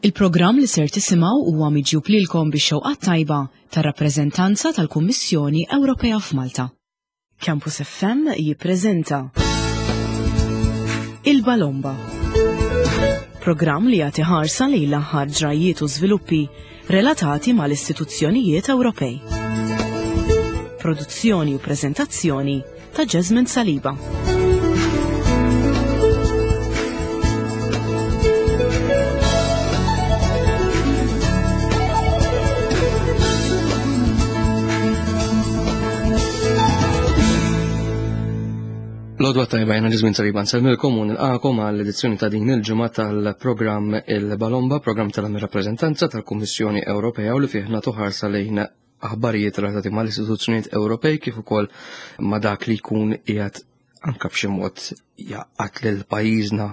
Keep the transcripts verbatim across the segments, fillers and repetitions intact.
Il-programm li ser tisimgħu huwa miġjub lilkom bix-xewqa tajba tar-rappreżentanza tal-Kummissjoni Ewropea f'Malta. Campus F M jippreżenta Il-Balomba. Programm li jagħti ħarsa lejn l-aħħar ġrajiet u żviluppi relatati mal-istituzzjonijiet Ewropej. Produzzjoni u preżentazzjoni ta' Jasmine Saliba. L-għodwa t-tajba, jiena Jasmine Saliba, nsellmilkom u nilqagħkom għall-edizzjoni ta' din il-ġimgħa tal-programm Il-Balomba, programm tal-rappreżentanza tal-Kummissjoni Ewropea u li fih nagħtu ħarsa lejn aħbarijiet relatati mal-istituzzjonijiet Ewropej kif ukoll ma' dak li jkun qiegħed anka b'xi mod jaqgħad lil pajjiżna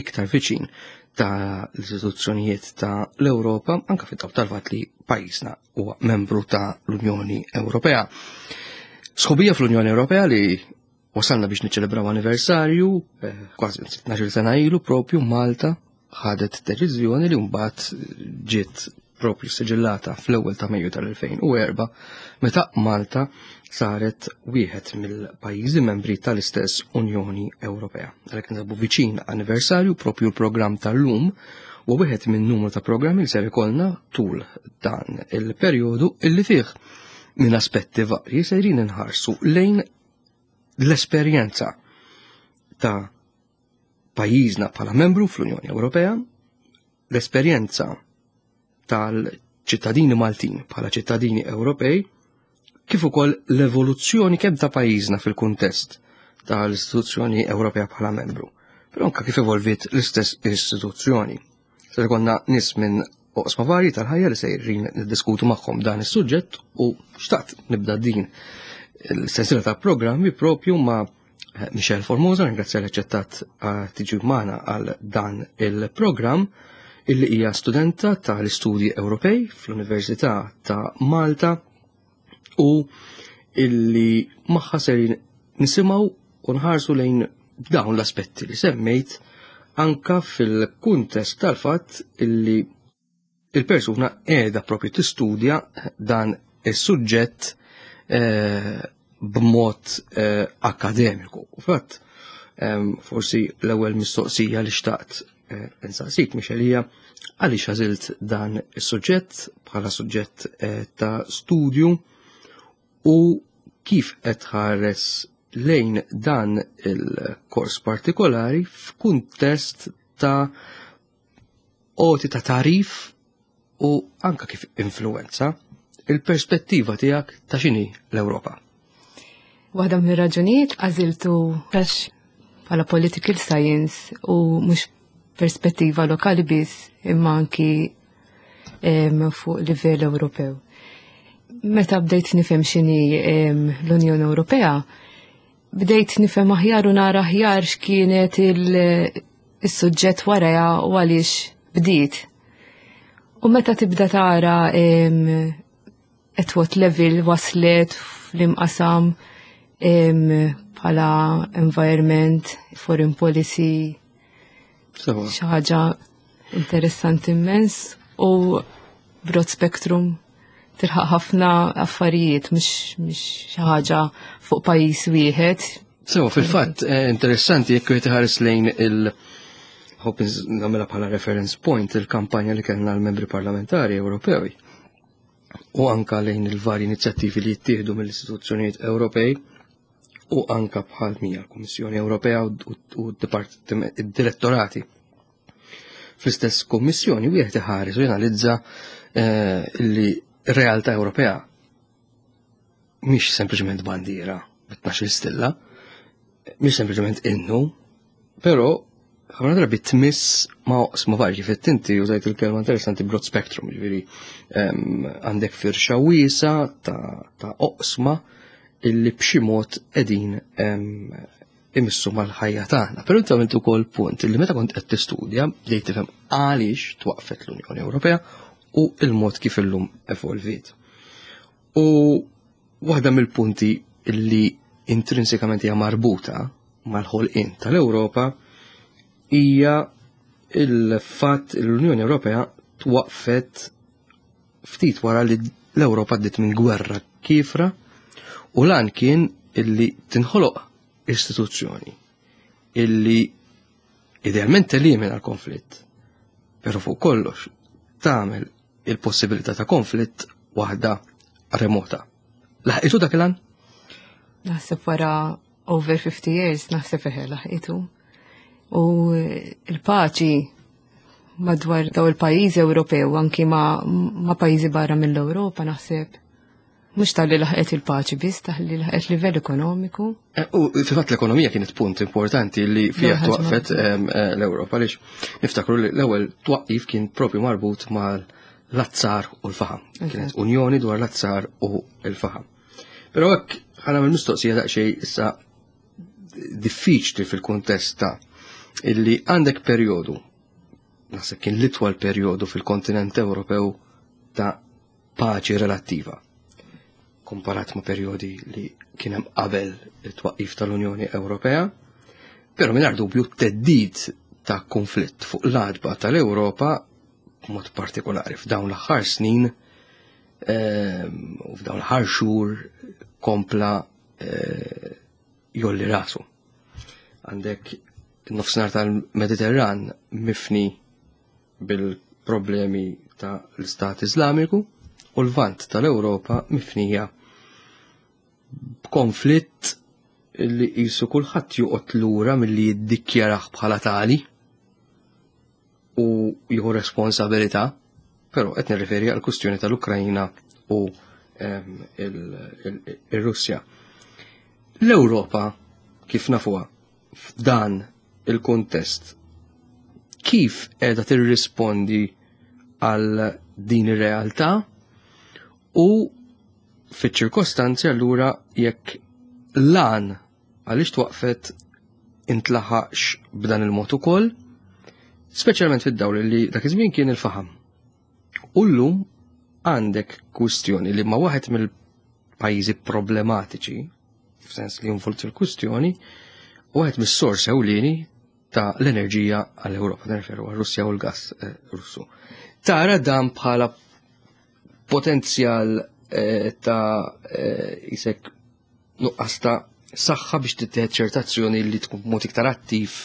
iktar viċin ta' l-istituzzjonijiet ta' l-Ewropa, anka fid-dawl tal-fatt li pajjiżna huwa membru ta' l-Unjoni Ewropea. Sħubija fl-Unjoni Ewropea li wasalna biex niċċelebraw anniversarju, eh, kważi tnax-il sena ilu propju Malta ħadet deċiżjoni li mbagħad ġiet propju siġillata fl-ewwel ta' Mejju tal-elfejn u erbgħa meta Malta saret wieħed mill-pajjiżi membri tal-istess Unjoni Ewropea. Għalhekk ninsabu viċin anniversarju. Propju l-programm tal-lum u wieħed minn numru ta' programmi li ser ikollna tul dan il-perjodu illi fih minn aspetti varji sejrin inħarsu lejn l-esperjenza ta' pajjiżna bħala membru fl-Unjoni Ewropea, l-esperjenza tal-ċittadini Maltin bħala ċittadini Ewropej, kif ukoll l-evoluzzjoni kemm ta' pajjiżna fil-kuntest tal-istituzzjoni Ewropea bħala membru, però anka kif evolviet l-istess istituzzjoni. Se jkollna nies minn oqsma varji tal-ħajja li sejrin niddiskutu magħhom dan is-suġġett u xtaqt nibda din il-sensiela ta' programmi propju ma' Michelle Formosa. Ringrazzja li aċċettat tiġi magħna għal dan il-programm, illi hija studenta tal-istudji Ewropej fl-Università ta' Malta u illi magħha ser nisimgħu u nħarsu lejn dawn l-aspetti li semmejt, anka fil-kuntest tal-fatt illi il-persuna qiegħda propju tistudja dan is-suġġett eh, b'mod eh, akademiku. U fatt, forsi l-ewwel mistoqsija li xtaqt eh, insaqsik, Michelle, hija għaliex għażilt dan is-suġġett bħala suġġett ta' studju u kif qed tħares lejn dan il-kors partikolari f'kuntest ta' għoti ta' tagħrif u anka kif influenza il-perspettiva tiegħek ta' x'inhi l-Ewropa. Waħda mir-raġunijiet għażiltu għax bħala political science u mhux perspettiva lokali biss imma anki fuq livell Ewropew. Meta bdejt nifhem x'inhi l-Unjoni Ewropea, bdejt nifhem aħjar u nara aħjar x'kienet il-suġġett warajha u għaliex bdiet. U meta tibda tara at what level waslet fl-imqasam bħala environment, foreign policy, xi ħaġa interessanti immens u broad spectrum, tilħaq ħafna affarijiet, mhux xi ħaġa fuq pajjiż wieħed. Sewa, fil-fatt, eh, interessanti jekk wieħed iħares lejn il- Hope nagħmilha bħala reference point il-kampanja li kellna l-membri parlamentari Ewropew u anka lejn il-vari inizjattivi li jittieħdu mill-istituzzjonijiet Ewropej u anka bħal mija l-Kummissjoni Ewropea u d-direttorati fl-istess kommissjoni, wieħed iħares u janalizza eh, li r-realtà Ewropea mhix sempliċement bandiera bi tnax-il stilla, mhix sempliċement innu, però ħafna drabi tmiss ma' oqsma varji. Fit inti użajt il-kelma interessanti broad spectrum, ġifieri għandek firxa wiesa ta', ta oqsma illi b'xi mod qegħdin imissu mal-ħajja tagħna. Però inti għamilt ukoll punt illi meta kont qed tistudja bdejt tifhem għaliex twaqfet l-Unjoni Ewropea u il-mod kif illum evolviet. U waħda mill-punti illi intrinsikament hija marbuta mal-ħolqien tal-Ewropa hija il-fatt l-Unjoni Ewropea Twaqfet ftit wara li l-Ewropa għaddiet minn gwerra kiefra u l-għan kien illi tinħoloq istituzzjoni illi idealment telimina l-konflitt, pero fuq kollox tagħmel il-possibilità ta' konflitt waħda remota. Laħqitu dak il-għan? Naħseb wara over fifty years, naħseb eħe laħqitu. U il-paċi madwar daw il-pajjiżi Ewropew, anki ma, ma pajjiżi barra mill-Ewropa, naħseb mhux talli laħqet il-paċi biss, talli laħqet livell ekonomiku. Eh, u fil-fatt l-ekonomija kienet punt importanti li fija L-ewwel ħaġa. twaqfet em, eh, l-Ewropa, għaliex niftakru li l-ewwel twaqqif kien propju marbut mal-azzar u l-faħam. Kienet Eżatt. unjoni dwar l-azzar u l-faħam. Però hekk ħa nagħmel mistoqsija daqsxejn issa diffiċli fil-kuntest ta' illi għandek perjodu, naħseb kien l-itwal perjodu fil-kontinent Ewropew ta' paċi relattiva komparat ma' perjodi li kien hemm qabel it-twaqqif tal-Unjoni Ewropea, però mingħajr dubju theddid ta' konflitt fuq l-għatba tal-Ewropa b'mod partikolari f'dawn l-aħħar snin ehm, u f'dawn l-aħħar xhur kompla eh, jgħolli rasu. Għandek nofsinhar tal-Mediterran mifni bil-problemi ta' l-Istat Islamiku u l-Lvant tal-Ewropa mifnija b'konflitt li qisu kulħadd joqgħod lura milli jiddikjarah bħala tali u jieħu responsabilità, però qed nirreferi għal kwistjoni tal-Ukrajna u em, il- il- il-Russja. L-Ewropa kif nafuha f'dan il-kontest kif qiegħda tirrispondi għal din ir-realtà u fiċ-ċirkostanzi allura jekk l-għan għaliex twaqfet intlaħaqx b'dan il-mod ukoll, speċjalment fid-dawl li dak iż-żmien kien il-faħam. U llum għandek kwistjoni li ma waħed mill-pajjiżi problematiċi, f'sens li involut fil-kwistjoni, u waħed mis-sors ewlieni ta' l-enerġija għall-Ewropa, nirreferu għal-Russja u l-gas eh, Russu. Tara dan bħala potenzjal eh, ta' eh, isek nuqqas ta' saħħa biex tittieħed ċerta azzjoni li tkun b'mod iktar attiv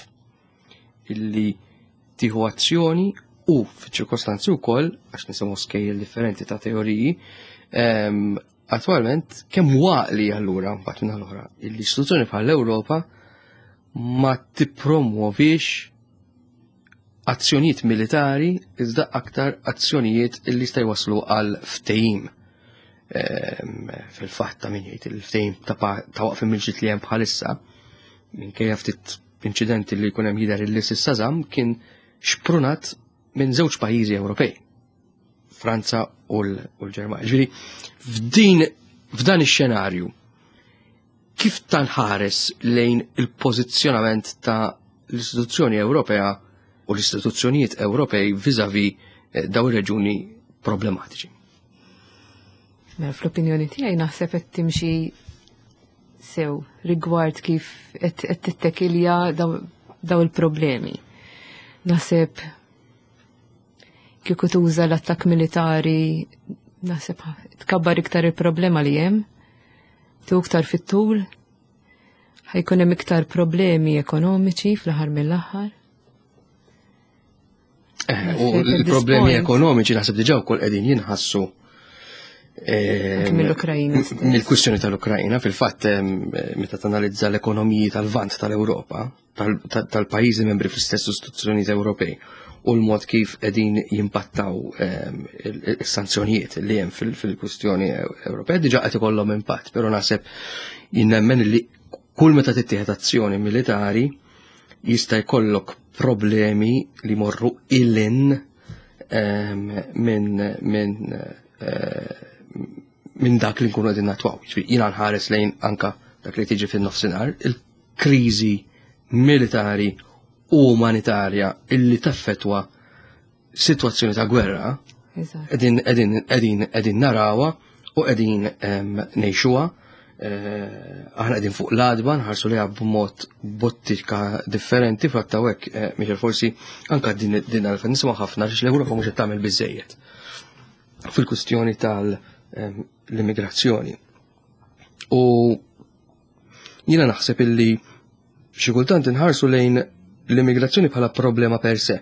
illi tieħu azzjoni u f'ċirkostanzi wkoll għax nisimgħu skejjel differenti ta' teoriji, ehm, attwalment kemm għaqli allura mbagħad minn l-oħra l-istituzzjoni bħal l-Ewropa ma tippromuovix azzjonijiet militari iżda aktar azzjonijiet illi jista' jwaslu għal ftehim. Ehm, Fil-fatt ta' min jgħid il-ftehim ta' pa- ta' waqf mill-ġlied li hemm bħalissa minkejja ftit inċidenti li jkun hemm jidher illi s'issa żamm kien xprunat minn żewġ pajjiżi Ewropej, Franza u l- u l-Ġermanja. Ġifieri f'din f'dan ix-xenarju kif tanħares lejn il-pożizzjonament ta' l-istituzzjoni Ewropea u l-istituzzjonijiet Ewropej vis-à-vis eh, daw ir-reġuni problematiċi? Mela, fl-opinjoni tiegħi naħseb qed timxi sew rigward kif qed qed tittekilja daw, daw il-problemi. Naħseb kieku tuża l-attakk militari, naħseb tkabbar iktar il-problema li hemm, tu iktar fit-tul, ħa jkun hemm iktar problemi ekonomiċi fl-aħħar mill-aħħar. Eh, u Naħseb at this l-problemi point- ekonomiċi naħseb diġà wkoll qegħdin jinħassu eh, Anke mill-Ukrajina stess. Mill-kwistjoni tal-Ukrajina, fil-fatt em, meta tanalizza l-ekonomiji tal-Lvant tal-Ewropa, tal- tal- tal-pajjiżi membri fl-istess istituzzjonijiet Ewropej u l-mod kif qegħdin jimpattaw em, il- il-sanzjonijiet li hemm fil- fil-kwistjoni Ewropea diġà qed ikollhom impatt, però naħseb jinnemmen li kull meta tittieħed azzjoni militari jista' jkollok problemi li morru lil hinn em, minn minn eh, minn dak li nkunu qegħdin nattwaw. Ġifieri jiena nħares lejn anka dak li tiġi fin-nofsinhar, il-kriżi militari u umanitarja illi taffetwa sitwazzjoni ta' gwerra Eżatt. qegħdin qegħdin qegħdin qegħdin narawha u qegħdin em, ngħixuha. Aħna qegħdin fuq l-għadba nħarsu liha b'mod b'ottika differenti fatta hekk, Michel, forsi anka din din għalfejn nisimgħu ħafna għax l-Ewropa mhux qed tagħmel biżejjed fil-kwistjoni tal-immigrazzjoni. U jiena naħseb illi xi kultant inħarsu lejn l-immigrazzjoni bħala problema per se.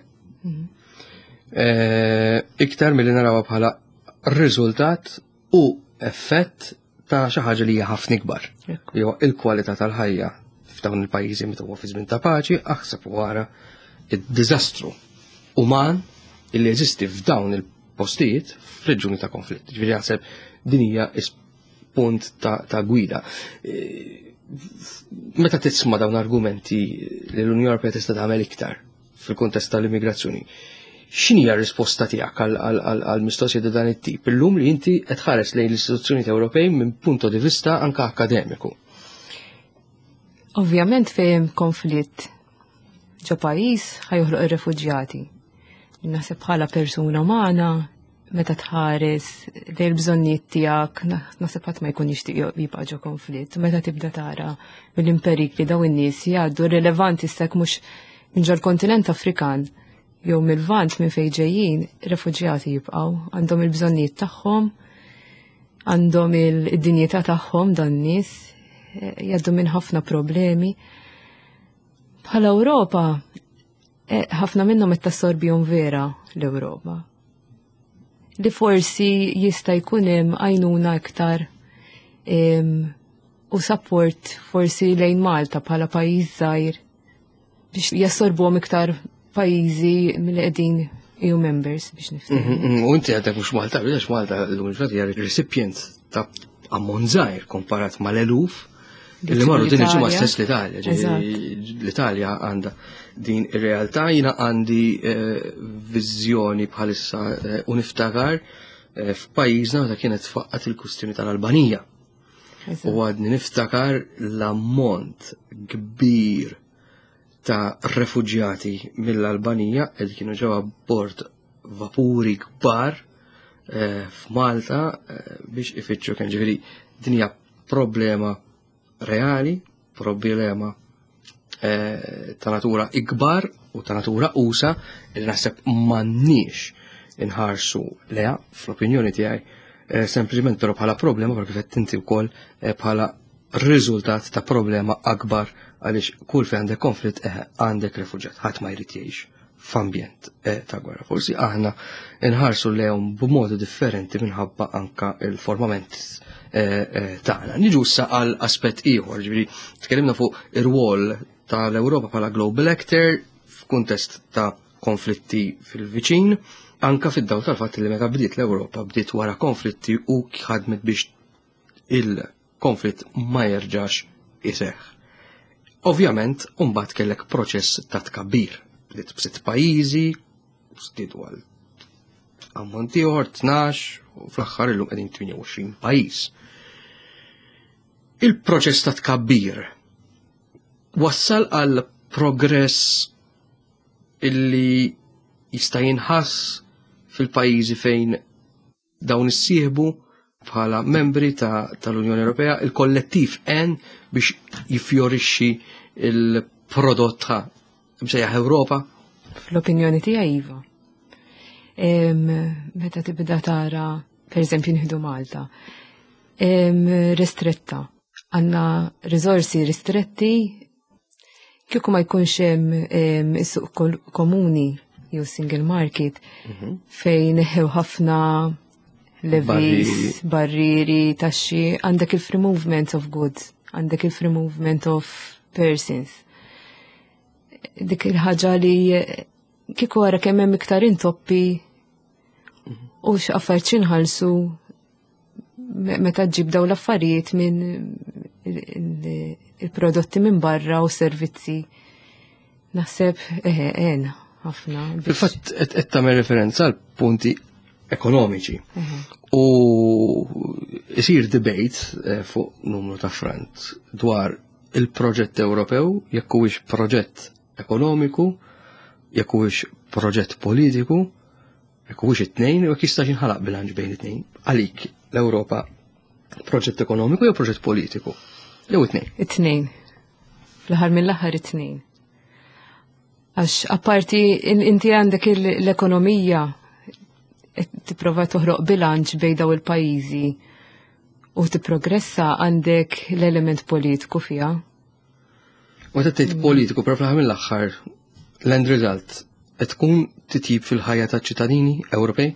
Iktar milli narawha bħala riżultat u effett ta' xi ħaġa li hija ħafna ikbar. Jew il-kwalità tal-ħajja f'dawn il-pajjiżi meta huwa fi żmien ta' paċi, aħseb wara id-diżastru uman illi jeżisti f'dawn il-postijiet f'reġjuni ta' konflitt. Ġifieri naħseb din hija punt ta', ta' gwida. Meta tisma' dawn argumenti li l-Unjoni Ewropea tista' tagħmel iktar fil-kuntest tal-immigrazzjoni, x'inhi r-risposta tiegħek għal mistoqsija ta' dan it-tip? Illum li inti qed tħares lejn l-istituzzjonijiet Ewropej minn punto di vista anka akademiku. Ovvjament fejn konflitt ġo pajjiż ħa joħloq ir-refuġjati. Naħseb bħala persuna umana meta tħares lejn il-bżonnijiet tiegħek, naħseb ħadd ma jkun jixtieq jibqa' ġo konflitt. Meta tibda tara mill-imperikli daw in-nies jgħaddu rilevanti sek mhux minn ġol-kontinent Afrikan jew mill-Lvant minn fejn ġejjin, refuġjati jibqgħu, għandhom il-bżonnijiet tagħhom, għandhom il-dinjità tagħhom dan nies, jgħaddu minn ħafna problemi. Bħala Ewropa, ħafna minnhom qed tassorbihom vera l-Ewropa. Li forsi jista' jkun hemm għajnuna iktar u support forsi lejn Malta bħala pajjiż żgħir biex jassorbuhom iktar pajjiżi mill qegħdin E U members biex niftehmu. U inti għadek mhux Malta, għax Malta l-lum il-ġurnata hija recipient ta' ammont żgħir komparat mal-eluf li marru din il-ġimgħa stess l-Italja. L-Italja għandha din ir-realtà, jiena għandi viżjoni bħalissa u niftakar f'pajjiżna meta kienet tfaqqat il-kwistjoni tal-Albanija. U għadni niftakar l-ammont kbir ta' refuġjati mill-Albanija li kienu ġew abbord vapuri kbar f'Malta biex ifittxu kien. Ġifieri din hija problema reali, problema ta' natura ikbar u ta' natura usa li naħseb m'għandniex inħarsu leha fl-opinjoni tiegħi, sempliċement però bħala problema, perché kif inti wkoll bħala riżultat ta' problema akbar, għaliex kull fejn għandek konflitt għandek refuġjat, ħadd ma jrid jgħix f'ambjent ta' gwerra. Forsi aħna nħarsu lejhom b'modi differenti minħabba anka il-formament tagħna. Niġu issa għal aspett ieħor, ġifieri tkellimna fuq ir-rwol tal-Ewropa bħala global actor f'kuntest ta' konflitti fil-viċin, anka fid-dawl tal-fatt li meta bdiet l-Ewropa bdiet wara konflitti u ħadmet biex il-konflitt ma jerġax iseħħ. Ovvjament, mbagħad kellek proċess ta' tkabbir. Bdiet b'sitt pajjiżi, żdiedu għal ammont ieħor, tnax, u fl-aħħar illum qegħdin tmienja u għoxrin pajjiż. Il-proċess ta' tkabbir wassal għal progress illi jista' jinħass fil-pajjiżi fejn dawn issieħbu bħala membri ta' tal-Unjoni Ewropea, il-kollettiv en biex jiffjorixxi il-prodott ta' msejjaħ Ewropa? Fl-opinjoni tiegħi iva. Meta tibda tara, per eżempju, nieħdu Malta, ristretta. Għandna riżorsi ristretti, kieku ma jkunx hemm is-suq komuni jew single market Mhm. fejn neħew ħafna levies, barrieri, taxxi, għandek il-free movement of goods, għandek il-free movement of persons. Dik il-ħaġa li kieku għara kemm hemm iktar intoppi u x'affarijiet x'inħallsu meta ġib daw l-affarijiet minn il-prodotti minn barra u servizzi. Naħseb eħe, għen, ħafna. Fil-fatt qed tagħmel referenza għal punti ekonomiċi. U isir debate, eh, fuq numru ta' front dwar il-proġett Ewropew, jekk huwiex proġett ekonomiku, jekk huwiex proġett politiku, jekk huwiex it-tnejn, u jekk jistax jinħalaq bilanċ bejn it-tnejn. Għalik l-Ewropa Proġett ekonomiku jew proġett politiku? Jew it-tnejn? It-tnejn. Fl-aħħar mill-aħħar it-tnejn. Għax apparti inti għandek l-ekonomija tipprova toħroq bilanċ bejn daw il-pajjiżi u tipprogressa, għandek l-element politiku fiha. U tgħid politiku, però fl-aħħar mill-aħħar l-end result qed tkun titjib fil-ħajja taċ-ċittadini Ewropej?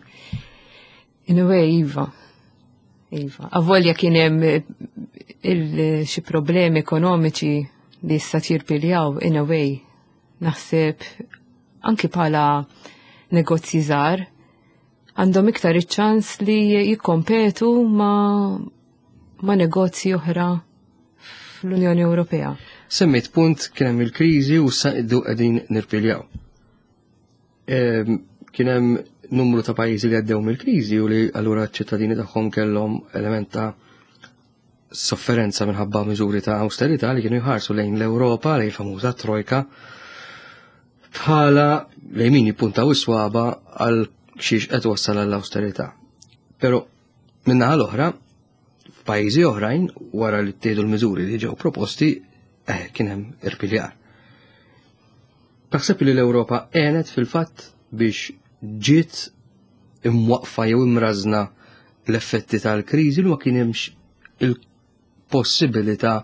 In a way, iva. Iva. Avolja kien hemm xi problemi ekonomiċi li issa tirpiljaw, in a way. Naħseb anki bħala negozji żgħar għandhom iktar iċ-ċans li jikkompetu ma, ma negozji oħra fl-Unjoni Ewropea. Semmejt punt, kien hemm il-kriżi u sa qegħdin nirpiljaw. Kien hemm numru ta' pajjiżi li għaddew mill-kriżi u li allura ċ-ċittadini tagħhom kellhom element ta' sofferenza minħabba miżuri ta' austerità li kienu jħarsu lejn l-Ewropa, lejn famuża trojka, bħala lejn min jippuntaw is-swaba għal xiex qed wassal għall-austerità. Però min-naħa l-oħra, f'pajjiżi oħrajn, wara li ttieħdu l-miżuri li ġew proposti, eh, kien hemm irpiljar. Taħseb li l-Ewropa għenet fil-fatt biex ġiet imwaqfa jew imrażna l-effetti tal-kriżi li ma kien hemmx il-possibilità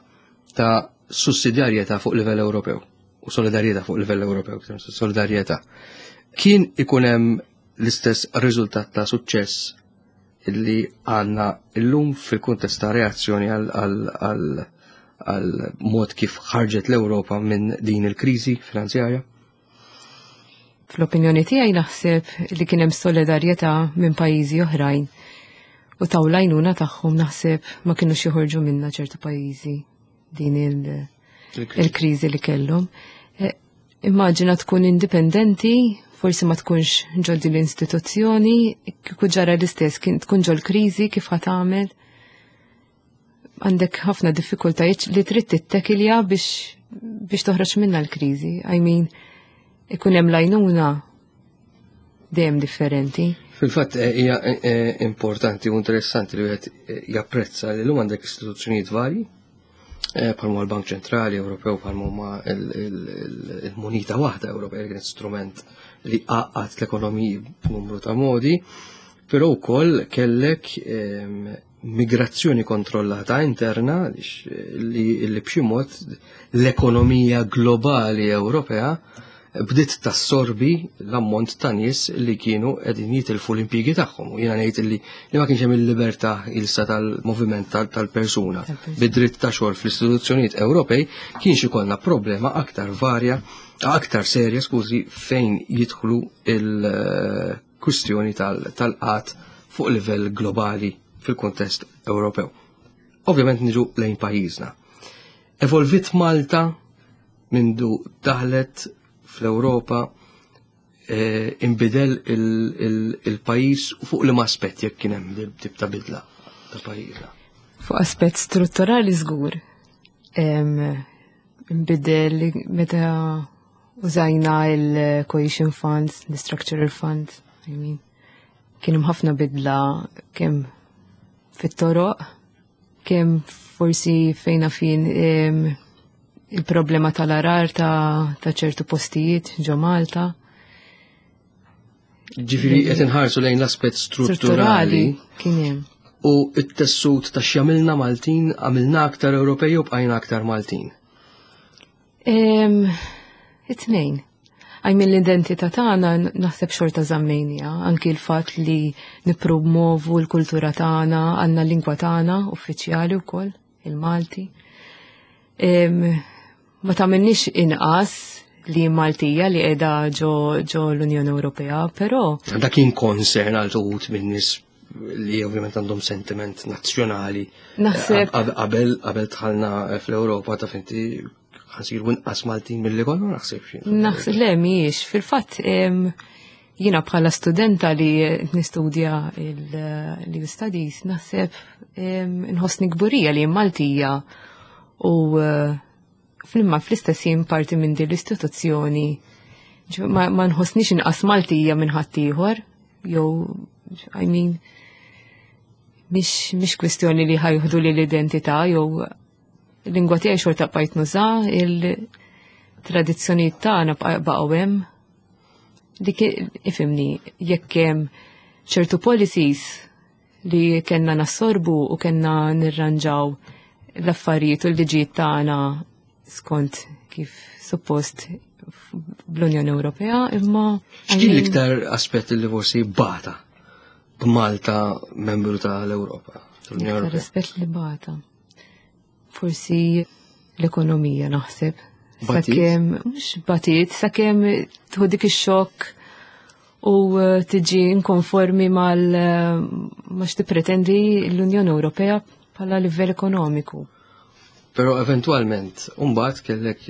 ta' sussidjarjetà fuq livell Ewropew u solidarjetà fuq livell Ewropew, solidarjetà? Kien ikun hemm l-istess riżultat ta' suċċess illi għandna illum fil-kuntest ta' reazzjoni għal mod kif ħarġet l-Ewropa minn din il-kriżi finanzjarja? Fl-opinjoni tiegħi naħseb li kien hemm solidarjetà minn pajjiżi oħrajn u taw l-għajnuna tagħhom, naħseb ma kinux joħorġu minna ċertu pajjiżi din il-kriżi li kellhom. E, immaġina tkun indipendenti, forsi ma tkunx ġol din l-istituzzjoni, kieku ġara l-istess, kien tkun ġol kriżi, kif ħa tagħmel? Għandek ħafna diffikultajiet li trid tittekilja biex biex toħroġ minna l-kriżi. I mean, ikun hemm l-għajnuna dejjem differenti. Fil-fatt eh, hija eh, eh, importanti u interessanti li wieħed japprezza li llum għandek istituzzjonijiet varji bħalma l-Bank Ċentrali Ewropew, bħalma huma il-munita waħda Ewropea li kienet strument li għaqqad l-ekonomiji b'numru ta' modi, però wkoll kellek ehm, migrazzjoni kontrollata interna li, li b'xi mod l-ekonomija globali Ewropea bdiet tassorbi l-ammont ta' nies li kienu qegħdin jitilfu l-impjiegi tagħhom. U jiena ngħid li li ma kienx hemm il-libertà ilsa tal-moviment tal-persuna bid-dritt ta' xogħol fl-istituzzjonijiet Ewropej, kienx ikollna problema aktar varja, aktar serja, skużi, fejn jidħlu il-kwistjoni tal-qat fuq livell globali fil-kuntest Ewropew. Ovvjament niġu lejn pajjiżna. Evolvit Malta mindu daħlet fl-Ewropa, eh, imbidel il-pajjiż fuq li aspett, jekk kien hemm tip ta' bidla ta' pajjiżna? Fuq aspett strutturali żgur. Imbidel meta użajna il-Cohesion Funds, the Structural Funds, I mean, kien hemm ħafna bidla kemm fit-toroq, kemm forsi fejna fin il-problema tal-għargħar ta', ta ċertu postijiet ġo Malta. Ġifieri qed inħarsu lejn l-aspett strutturali kien hemm. U it-tessut ta' x'jagħmilna Maltin, għamilna aktar Ewropej u bqajna aktar Maltin? It-tnejn. I mean, l-identità tagħna naħseb xorta żammejnija, anki l-fatt li nippromovu l-kultura tagħna, għandna l-lingwa tagħna uffiċjali wkoll, il-Malti. Ma tagħmilniex inqas li Maltija li qiegħda ġo, ġo l-Unjoni Ewropea, però Dak kien concern għal uħud minn nies li ovvjament għandhom sentiment nazzjonali. Naħseb Qabel qabel dħalna fl-Ewropa, ta' finti ħa nsiru inqas Maltin milli konna, naħseb. Naħseb le, mhijiex. Fil-fatt jiena bħala studenta li nistudja l-E U Studies naħseb nħossni kburija li Maltija u eh, fl-imma fl-istess jien parti minn din l-istituzzjoni. Ma, ma nħossnix inqas Maltija minn ħaddieħor, jew, I mean, Mhix mhix kwistjoni li ħa jieħdu li l-identità jew lingwa tiegħi xorta bqajt nuża, il-tradizzjonijiet tagħna baqgħu hemm. Dik ifhimni, jekk hemm ċertu policies li kellna nassorbu u kellna nirranġaw l-affarijiet u l-liġijiet tagħna skont kif suppost bl-Unjoni Ewropea, imma. X'kien l-iktar aspett li forsi bata b'Malta membru tal-Ewropa? Tal-Unjoni Ewropea? Aspett li bata. Forsi l-ekonomija, naħseb. Batit? Sakemm, mhux batit, sakemm tieħu dik ix-xokk u eh, tiġi inkonformi mal eh, ma x'tippretendi l-Unjoni Ewropea bħala livell ekonomiku. Però eventualment, mbagħad kellek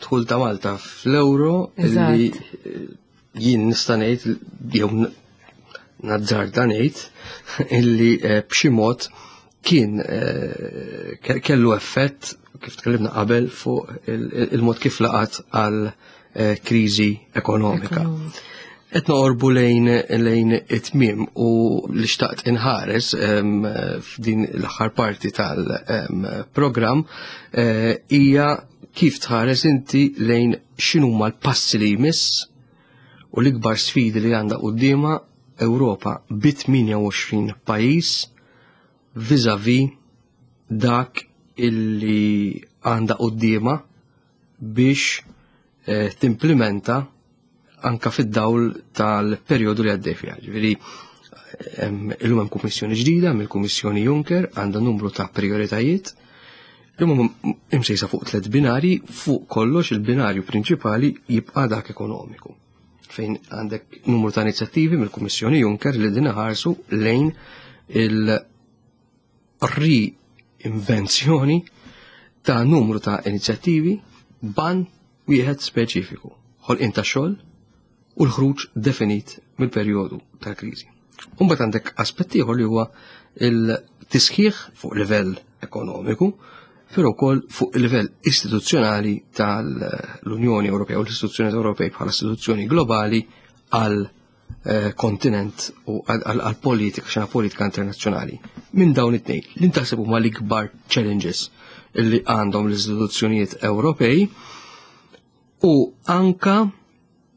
dħul ta' Malta fl-euro li jien nista' ngħid jew nazzarda ngħid illi eh, b'xi mod kien eh, kellu effett, kif tkellimna qabel, fuq il-mod kif laqat għal eh, kriżi ekonomika. Qed noqorbu lejn lejn it-tmiem u li xtaqt inħares f'din l-aħħar parti tal-programm eh, hija kif tħares inti lejn x'inhuma l-passi li jmiss u l-ikbar sfidi li għandha quddiemha Ewropa bi tmienja u għoxrin pajjiż vis-a-vis dak illi għandha quddiemha biex eh, timplementa anka fid-dawl tal-perjodu li għaddej fiha. Ġifieri illum hemm kummissjoni ġdida mill-Kummissjoni Juncker, għandha numru ta' prioritajiet li huma imsejsa fuq tliet binari. Fuq kollox il-binarju prinċipali jibqa' dak ekonomiku, fejn għandek numru ta' inizjattivi mill-Kummissjoni Juncker li din ħarsu lejn il-reinvenzjoni ta' numru ta' inizjattivi b'għan wieħed speċifiku: ħolqien ta' xogħol u l-ħruġ definit mill-perjodu tal-kriżi. Umbagħad għandek aspett ieħor li huwa il-tisħiħ fuq livell ekonomiku, però wkoll fuq il-livell istituzzjonali tal-Unjoni Ewropea u l-istituzzjoni Ewropej bħala istituzzjoni globali għal eh, kontinent u għal politika, xena politika internazzjonali. Minn dawn it-tnejn, li ntaħseb huma l-ikbar challenges illi għandhom l-istituzzjonijiet Ewropej u anka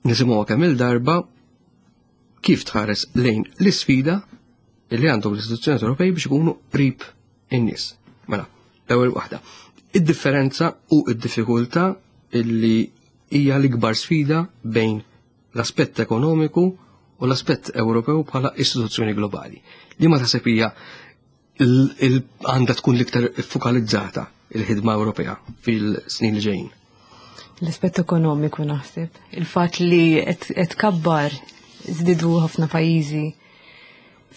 nisimgħu kemm il-darba, kif tħares lejn l-isfida illi għandhom l-istituzzjonijiet Ewropej biex ikunu qrib in-nies? Mela, l-ewwel waħda. Id-differenza u id-diffikultà illi hija l-ikbar sfida bejn l-aspett ekonomiku u l-aspett Ewropew bħala istituzzjoni globali. Li ma taħseb hija għandha tkun l-iktar fokalizzata il-ħidma Ewropea fil-snin li ġejjin? L-aspett ekonomiku, naħseb. Il-fatt li qed kabbar żdiedu ħafna pajjiżi.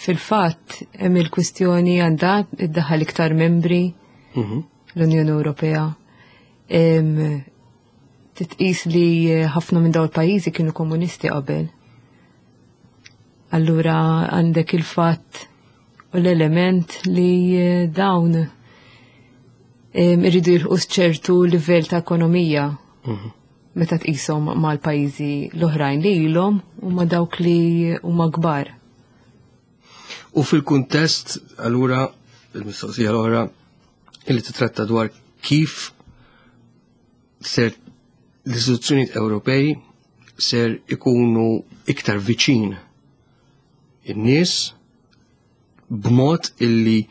Fil-fatt hemm il-kwistjoni għandha iddaħħal iktar membri Mhm. l-Unjoni Ewropea. Titqis li ħafna minn dawn il-pajjiżi kienu komunisti qabel. Allura għandek il-fatt u l-element li dawn irridu jilħqu ċertu livell ta' ekonomija Mhm. meta tqishom mal-pajjiżi l-oħrajn li ilhom u ma' dawk li huma kbar. U fil-kuntest, allura, il-mistoqsija l-oħra illi titratta dwar kif ser l-istituzzjonijiet Ewropej ser ikunu iktar viċin in-nies b'mod illi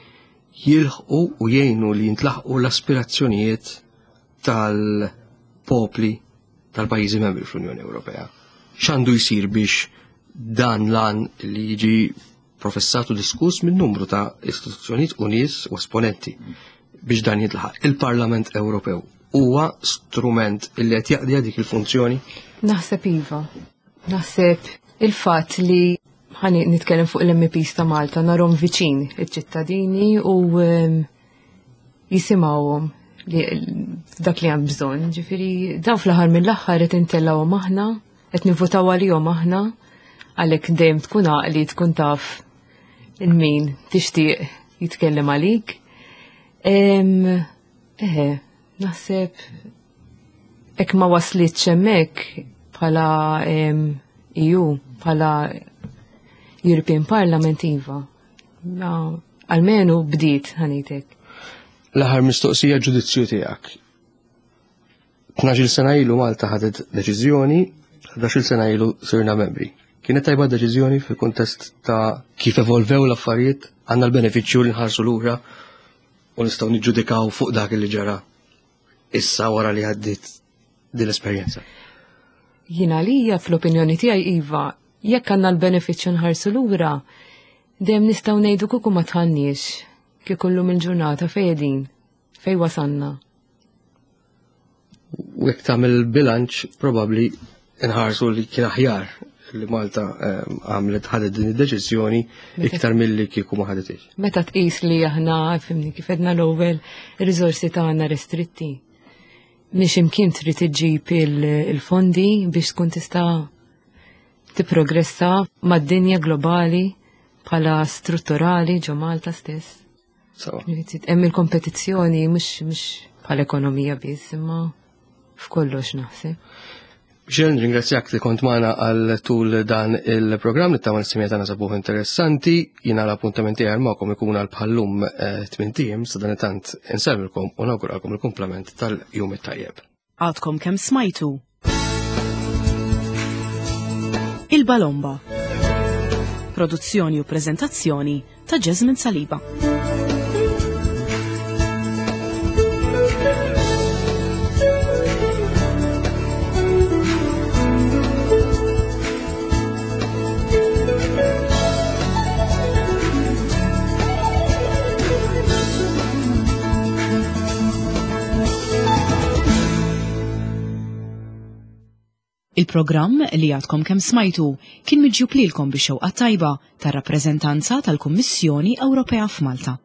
jilħqu u jgħinu li jintlaħqu l-aspirazzjonijiet tal-popli tal-pajjiżi membri fl-Unjoni Ewropea. X'għandu jsir biex dan l-għan li jiġi professat u diskuss minn numru ta' istituzzjonijiet u nies u esponenti biex dan jintlaħaq? Il-Parlament Ewropew huwa strument illi qed jaqdi dik il-funzjoni? Naħseb iva. Naħseb il-fatt li ħani nitkellem fuq l-M Ps ta' Malta, narahom viċin iċ-ċittadini u em, jisimgħuhom li dak li hemm bżonn. Ġifieri dawn fl-aħħar mill-aħħar qed intellgħuhom aħna, qed nivvotaw għalihom aħna, għalhekk dejjem tkun għaqli tkun taf il-min tixtieq jitkellem għalik. Em, Eħe, naħseb hekk ma waslitx hemmhekk bħala em, E U, bħala European Parliament, iva. Ma, Almenu bdiet ħanitek. L-aħħar mistoqsija, ġudizzju tiegħek. Tnax-il sena ilu Malta ħadet deċiżjoni, ħdax-il sena ilu sirna membri. Kienet tajba deċiżjoni fil-kuntest ta' kif evolvew l-affarijiet, għandna l-benefiċċju li nħarsu lura u nistgħu niġġudikaw fuq dak li ġara issa wara li għaddiet din l-esperjenza? Jiena lija fl-opinjoni tiegħi iva, jekk għandna l-benefiċċju nħarsu lura, dejjem nistgħu ngħidu kieku ma dħalniex, kieku llum il-ġurnata fejn qegħdin, fejn wasalna. U jekk tagħmel bilanċ, probabbli nħarsu li kien aħjar li Malta ehm, għamlet ħadet din id-deċiżjoni iktar milli kieku ma ħaditx. Meta tqis li aħna, fhimni, kif edna l-ewwel, ir-riżorsi tagħna restritti. Mhix imkien trid iġġib il-fondi biex tkun tista' tipprogressa mad-dinja globali bħala strutturali ġo Malta stess. Hemm il-kompetizzjoni mhux mhux bħala ekonomija biss, imma f'kollox naħseb. Michelle, ringrazzjak li kont magħna għal tul dan il-programm li ta' s-semija tagħna sabuh interessanti. Jiena l-appuntamenti għal magħkom ikun għal bħallum eh, tmint ijiem. Sadanittant insellmilkom u nawguralkom il-kumplament tal-jum it-tajjeb. Għadkom kemm smajtu Il-Balomba. Produzzjoni u prezentazzjoni ta' Jasmine Saliba. Il-programm li għadkom kemm smajtu kien miġjub lilkom bix-xewqa tajba tar-rappreżentanza tal-Kummissjoni Ewropea f'Malta.